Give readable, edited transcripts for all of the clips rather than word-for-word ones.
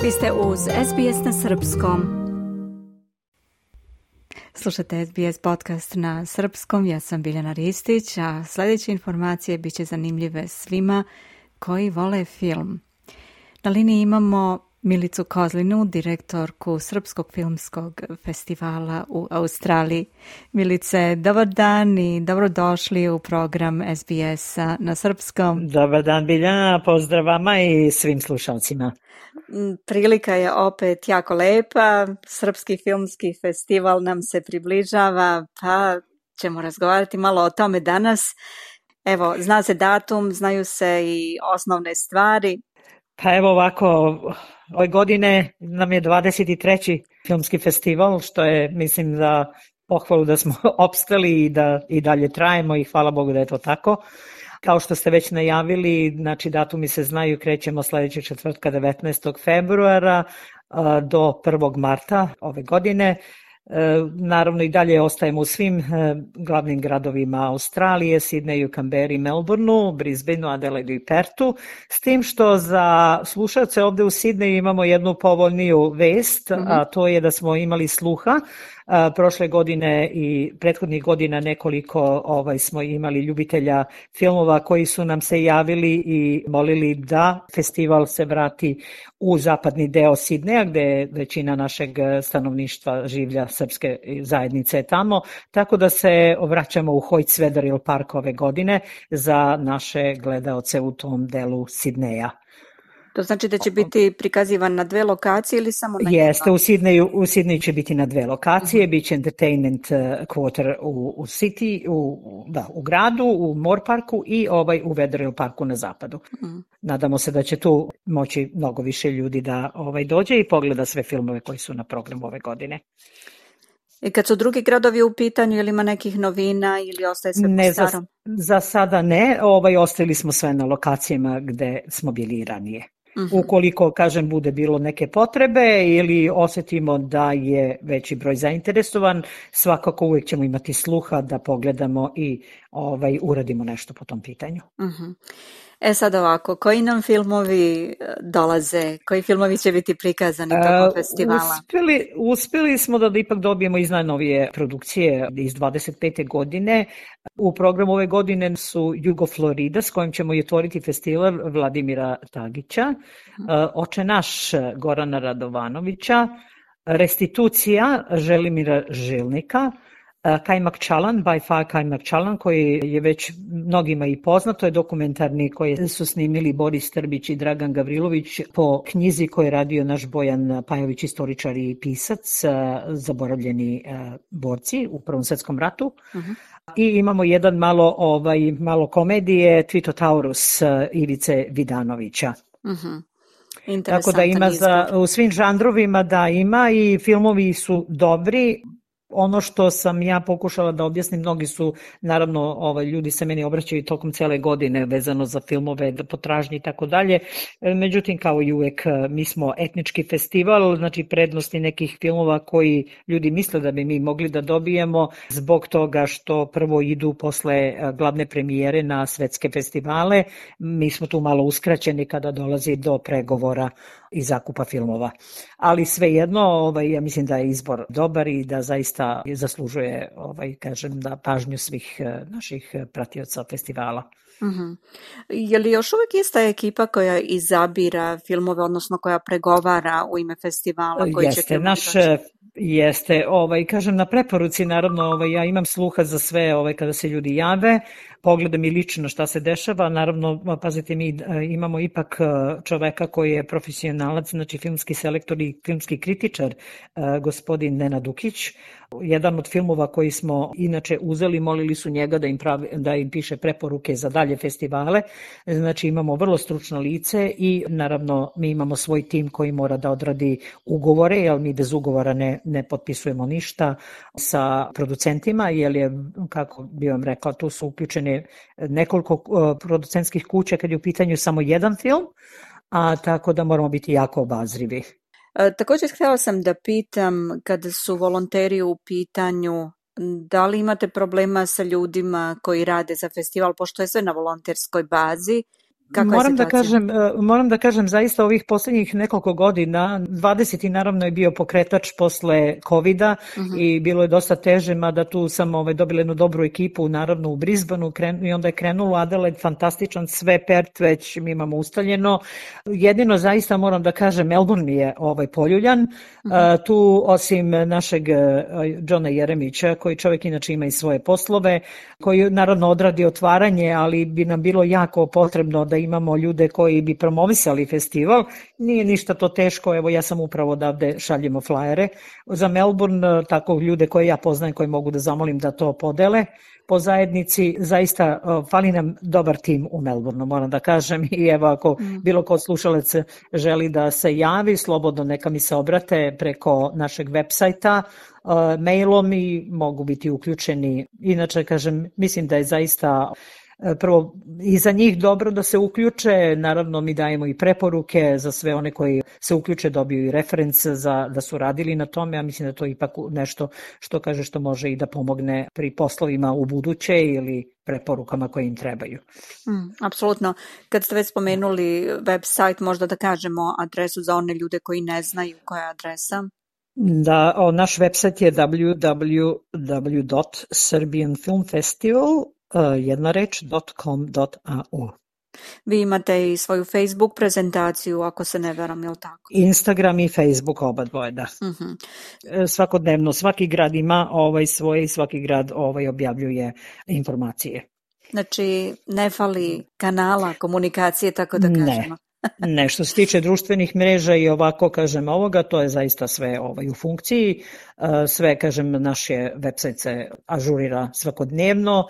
Vi ste uz SBS na srpskom. Slušate SBS podcast na srpskom, ja sam Biljana Ristić, a sljedeće informacije bit će zanimljive svima koji vole film. Na liniji imamo Milicu Kozlinu, direktorku Srpskog filmskog festivala u Australiji. Milice, dobar dan i dobrodošli u program SBS-a na srpskom. Dobar dan, Biljana, pozdrav vama i svim slušalcima. Prilika je opet jako lepa, Srpski filmski festival nam se približava, pa ćemo razgovarati malo o tome danas. Evo, zna se datum, znaju se i osnovne stvari. Pa evo ovako, ove godine nam je 23. filmski festival, što je, mislim, da pohvalu da smo opstali i da i dalje trajemo i hvala Bogu da je to tako. Kao što ste već najavili, znači datumi se znaju, krećemo sljedećeg četvrtka 19. februara do 1. marta ove godine. Naravno i dalje ostajemo u svim glavnim gradovima Australije, Sidneju, Canberri, Melbourneu, Brisbaneu, Adelaidu i Pertu, s tim što za slušalce ovde u Sidneju imamo jednu povoljniju vest, a to je da smo imali sluha. Prošle godine i prethodnih godina nekoliko smo imali ljubitelja filmova koji su nam se javili i molili da festival se vrati u zapadni deo Sidneja, gde većina našeg stanovništva življa, srpske zajednice tamo, tako da se vraćamo u Hoyts-Wetherill Park ove godine za naše gledaoce u tom delu Sidneja. To znači da će biti prikazivan na dve lokacije ili samo na jedno? Jeste, u Sidneju će biti na dve lokacije, bit će Entertainment Quarter u City, u gradu, u Moore Parku i u Wetherill Parku na zapadu. Nadamo se da će tu moći mnogo više ljudi da dođe i pogleda sve filmove koji su na programu ove godine. I kad su drugi gradovi u pitanju, ili ima nekih novina ili ostaje sve po starom? Za sada ne, ostavili smo sve na lokacijama gde smo bili i ranije. Ukoliko, kažem, bude bilo neke potrebe ili osjetimo da je veći broj zainteresovan, svakako uvijek ćemo imati sluha da pogledamo i uradimo nešto po tom pitanju. Sad ovako, koji nam filmovi dolaze? Koji filmovi će biti prikazani tokom festivala? Uspjeli smo da ipak dobijemo iz najnovije produkcije iz 25. godine. U programu ove godine su Jugo Florida, s kojim ćemo i otvoriti festival Vladimira Tagića, Oče naš Gorana Radovanovića, Restitucija Želimira Žilnika, Kajmak Čalan, by far Kajmak Čalan, koji je već mnogima i poznato, je dokumentarni koji su snimili Boris Trbić i Dragan Gavrilović po knjizi koju je radio naš Bojan Pajović, istoričar i pisac, Zaboravljeni borci u Prvom svjetskom ratu. I imamo jedan malo komedije, Tvitotaurus Ivice Vidanovića. Tako da ima u svim žanrovima da ima i filmovi su dobri. Ono što sam ja pokušala da objasnim, mnogi su, naravno, ljudi se meni obraćaju tokom cele godine vezano za filmove, potražnje i tako dalje. Međutim, kao i uvek, mi smo etnički festival, znači prednosti nekih filmova koji ljudi misle da bi mi mogli da dobijemo zbog toga što prvo idu posle glavne premijere na svetske festivale. Mi smo tu malo uskraćeni kada dolazi do pregovora i zakupa filmova. Ali svejedno, ja mislim da je izbor dobar i da zaista zaslužuje, da pažnju svih naših pratioca festivala. Je li još uvijek ista ekipa koja izabira filmove, odnosno koja pregovara u ime festivala? Jeste, jeste, na preporuci, naravno, ja imam sluha za sve kada se ljudi jave, pogledam i lično šta se dešava, naravno, pazite, mi imamo ipak čoveka koji je profesionalac, znači filmski selektor i filmski kritičar, gospodin Nenad Dukić. Jedan od filmova koji smo inače uzeli, molili su njega da im piše preporuke za dalje festivale, znači imamo vrlo stručno lice i naravno mi imamo svoj tim koji mora da odradi ugovore, jer mi bez ugovora ne potpisujemo ništa sa producentima, jer je, kako bi vam rekla, tu su uključene nekoliko producentskih kuća kad je u pitanju samo jedan film, a tako da moramo biti jako obazrivi. Također htjela sam da pitam, kada su volonteri u pitanju, da li imate problema sa ljudima koji rade za festival, pošto je sve na volonterskoj bazi? Kakva je situacija? Moram da kažem zaista ovih posljednjih nekoliko godina, 20. naravno je bio pokretač posle COVID-a i bilo je dosta teže, mada tu sam dobila jednu dobru ekipu, naravno u Brisbaneu i onda je krenulo Adelaide, fantastičan, sve Perth već mi imamo ustaljeno. Jedino zaista moram da kažem, Melbourne mi je poljuljan. Tu osim našeg Johna Jeremića, koji čovjek inače ima i svoje poslove, koji naravno odradi otvaranje, ali bi nam bilo jako potrebno da imamo ljude koji bi promovisali festival. Nije ništa to teško, evo ja sam upravo odavde šaljemo flajere za Melbourne, tako ljude koje ja poznajem, koji mogu da zamolim da to podele po zajednici. Zaista fali nam dobar tim u Melbourneu, moram da kažem, i evo ako bilo ko od slušalaca želi da se javi, slobodno neka mi se obrate preko našeg web sajta, mailom i mogu biti uključeni. Inače, kažem, mislim da je zaista prvo i za njih dobro da se uključe, naravno mi dajemo i preporuke za sve one koji se uključe, dobiju i reference da su radili na tome, a mislim da to ipak nešto što može i da pomogne pri poslovima u buduće ili preporukama koje im trebaju. Apsolutno. Kad ste već spomenuli website, možda da kažemo adresu za one ljude koji ne znaju koja je adresa? Da, naš website je www.serbianfilmfestival.com.au. Vi imate i svoju Facebook prezentaciju, ako se ne veram, je li tako? Instagram i Facebook, oba dvoje, da. Svakodnevno, svaki grad ima svoje i svaki grad objavljuje informacije. Znači, ne fali kanala komunikacije, tako da kažemo. Ne, što se tiče društvenih mreža i ovako, kažem, ovoga, to je zaista sve u funkciji. Sve, kažem, naš website se ažurira svakodnevno.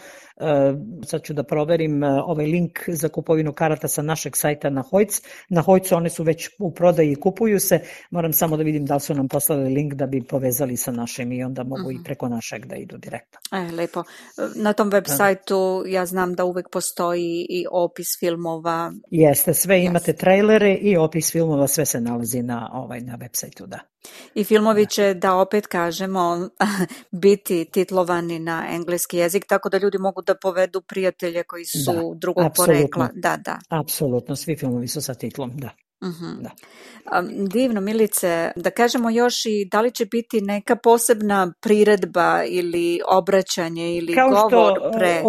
Sad ću da proverim ovaj link za kupovinu karata sa našeg sajta na Hojc. Na Hojcu one su već u prodaji i kupuju se. Moram samo da vidim da li su nam poslali link da bi povezali sa našim i onda mogu i preko našeg da idu direktno. Lepo. Na tom web sajtu ja znam da uvek postoji i opis filmova. Jeste, sve imate trailere i opis filmova, sve se nalazi na web sajtu, da. I filmovi će, da opet kažemo, biti titlovani na engleski jezik, tako da ljudi mogu da povedu prijatelje koji su drugog porekla. Da. Apsolutno, svi filmovi su sa titlom, da. Da. Divno, Milice, da kažemo još i da li će biti neka posebna priredba ili obraćanje ili govor pre...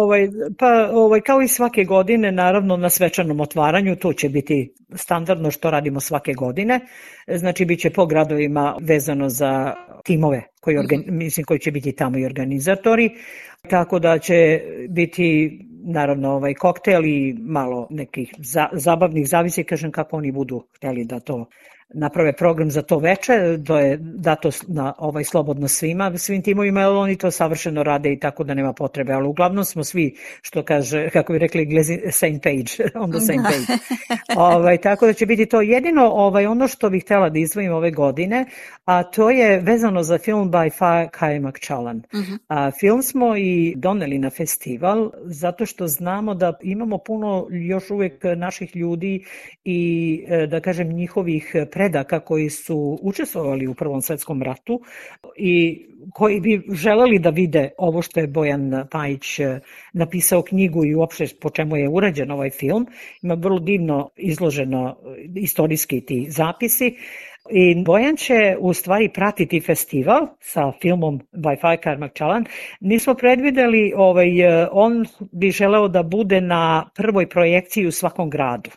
Kao i svake godine, naravno na svečanom otvaranju, to će biti standardno što radimo svake godine, znači bit će po gradovima vezano za timove koji će biti tamo i organizatori, tako da će biti naravno koktel i malo nekih zabavnih, zavisi, kažem, kako oni budu hteli da to naprave program za to veče, to je dato na slobodno svim timovima, jer oni to savršeno rade i tako da nema potrebe, ali uglavnom smo svi, što kaže, kako bi rekli Englezi, same page, on the same page. Tako da će biti to jedino ono što bih htjela da izdvojim ove godine, a to je vezano za film by Faik Makčalan. Film smo i doneli na festival zato što znamo da imamo puno još uvijek naših ljudi i da kažem njihovih predaka koji su učestvovali u Prvom svjetskom ratu i koji bi želeli da vide ovo što je Bojan Pajić napisao knjigu i uopšte po čemu je urađen ovaj film. Ima vrlo divno izloženo istorijski ti zapisi. I Bojan će u stvari pratiti festival sa filmom by Faik Makčalan. Nismo predvideli, on bi želeo da bude na prvoj projekciji u svakom gradu.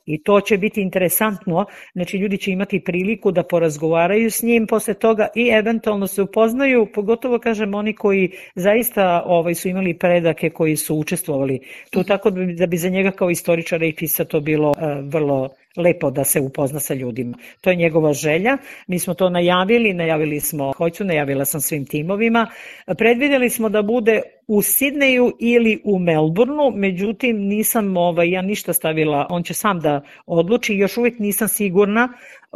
I to će biti interesantno, znači ljudi će imati priliku da porazgovaraju s njim posle toga i eventualno se upoznaju, pogotovo kažem oni koji zaista su imali predake koji su učestvovali tu, tako da bi za njega kao istoričara i pisa to bilo vrlo lepo da se upozna sa ljudima. To je njegova želja. Mi smo to najavili smo Hojcu, najavila sam svim timovima. Predvidjeli smo da bude u Sidneju ili u Melbourneu, međutim nisam ja ništa stavila, on će sam da odluči, još uvijek nisam sigurna,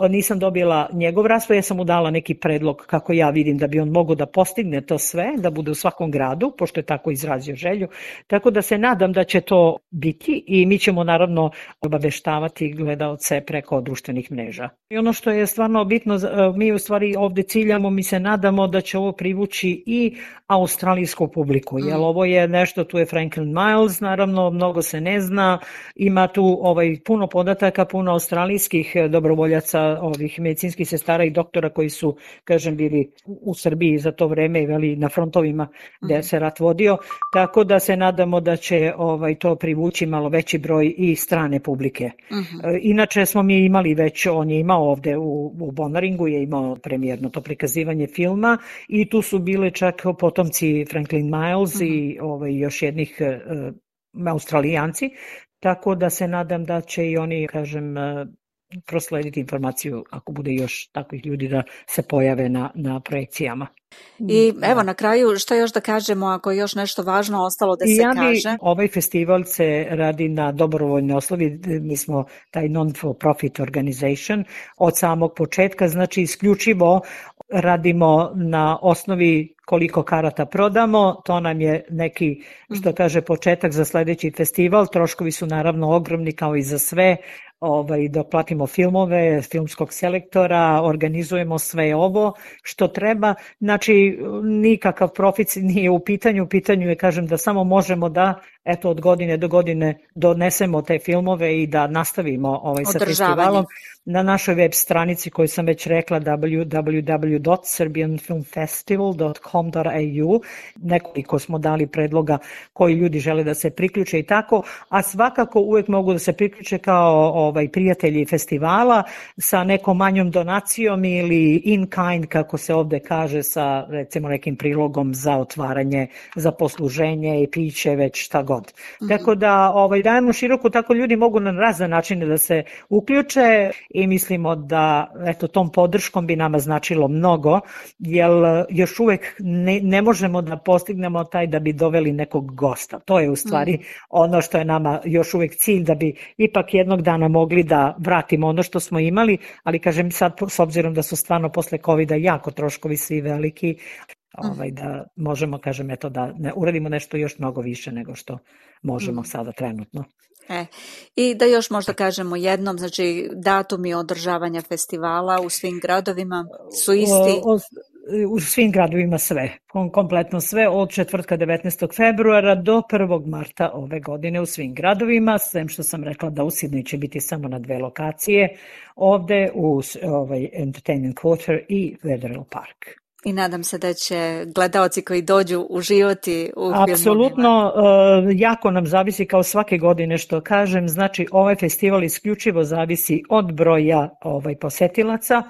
nisam dobila njegov raspored, ja sam mu dala neki predlog kako ja vidim da bi on mogao da postigne to sve, da bude u svakom gradu, pošto je tako izrazio želju. Tako da se nadam da će to biti i mi ćemo naravno obaveštavati gledaoce preko društvenih mreža. I ono što je stvarno bitno, mi u stvari ovde ciljamo, mi se nadamo da će ovo privući i australijsku publiku, jer ovo je nešto, tu je Franklin Miles, naravno, mnogo se ne zna, ima tu puno podataka, puno australijskih dobrovoljaca, ovih medicinskih sestara i doktora koji su, kažem, bili u Srbiji za to vreme, veli, na frontovima gde se rat vodio, tako da se nadamo da će to privući malo veći broj i strane publike. Inače smo mi imali već, on je imao ovde u Bonaringu, je imao premijerno to prikazivanje filma i tu su bile čak potomci Franklin Miles i još jednih Australijanci, tako da se nadam da će i oni, kažem, proslediti informaciju ako bude još takvih ljudi da se pojave na projekcijama. I evo na kraju što još da kažemo ako je još nešto važno ostalo da se kaže? Ovaj festival se radi na dobrovoljnoj osnovi, mi smo taj non-for-profit organization od samog početka, znači isključivo radimo na osnovi koliko karata prodamo, to nam je neki, što kaže, početak za sledeći festival, troškovi su naravno ogromni kao i za sve, dok platimo filmove, filmskog selektora, organizujemo sve ovo što treba, znači nikakav profit nije u pitanju je, kažem, da samo možemo da od godine do godine donesemo te filmove i da nastavimo sa festivalom. Na našoj web stranici koju sam već rekla www.serbianfilmfestival.com.au nekoliko smo dali predloga koji ljudi žele da se priključe i tako, a svakako uvek mogu da se priključe kao prijatelji festivala sa nekom manjom donacijom ili in kind, kako se ovde kaže, sa recimo nekim prilogom za otvaranje, za posluženje i piće, već šta god. Tako da dajemo široko, tako ljudi mogu na razne načine da se uključe i mislimo da tom podrškom bi nama značilo mnogo, jer još uvek ne možemo da postignemo taj da bi doveli nekog gosta. To je u stvari ono što je nama još uvek cilj, da bi ipak jednog dana mogli da vratimo ono što smo imali, ali kažem sad s obzirom da su stvarno posle COVID-a jako troškovi svi veliki, da možemo, kažem, da ne uradimo nešto još mnogo više nego što možemo sada trenutno. I da još možda kažemo jednom, znači datumi održavanja festivala u svim gradovima su isti? U svim gradovima sve, kompletno sve, od četvrtka 19. februara do 1. marta ove godine u svim gradovima, sem što sam rekla da u Sidneju će biti samo na 2 lokacije, ovde u Entertainment Quarter i Wetherill Park. I nadam se da će gledaoci koji dođu uživati u filmovima. Apsolutno, jako nam zavisi kao svake godine što kažem, znači ovaj festival isključivo zavisi od broja posetilaca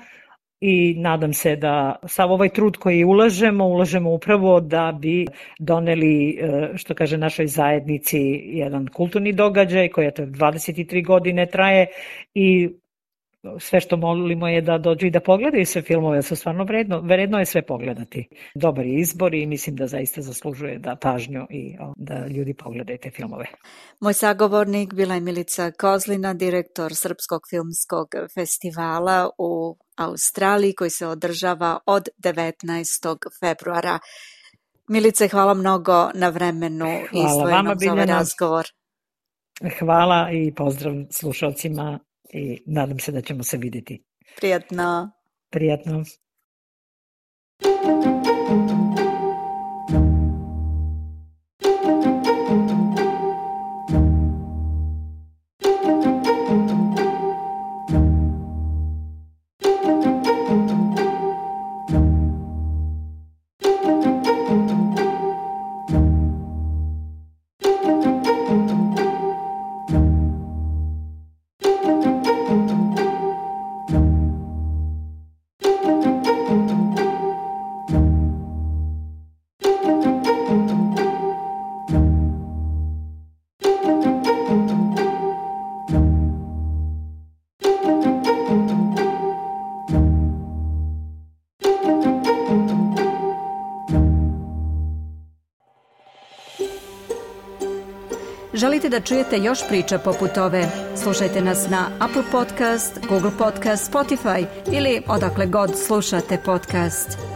i nadam se da sav ovaj trud koji ulažemo upravo da bi doneli, što kaže, našoj zajednici jedan kulturni događaj koji 23 godine traje i sve što molimo je da dođu i da pogledaju sve filmove, su stvarno vredno je sve pogledati. Dobar je izbor i mislim da zaista zaslužuje da pažnju i da ljudi pogledaju te filmove. Moj sagovornik bila je Milica Kozlina, direktor Srpskog filmskog festivala u Australiji koji se održava od 19. februara. Milice, hvala mnogo na vremenu izdvojenom za ovaj razgovor. Hvala i pozdrav slušalcima i nadam se da ćemo se vidjeti. Prijatno. Prijatno. Želite da čujete još priča poput ove? Slušajte nas na Apple Podcast, Google Podcast, Spotify ili odakle god slušate podcast.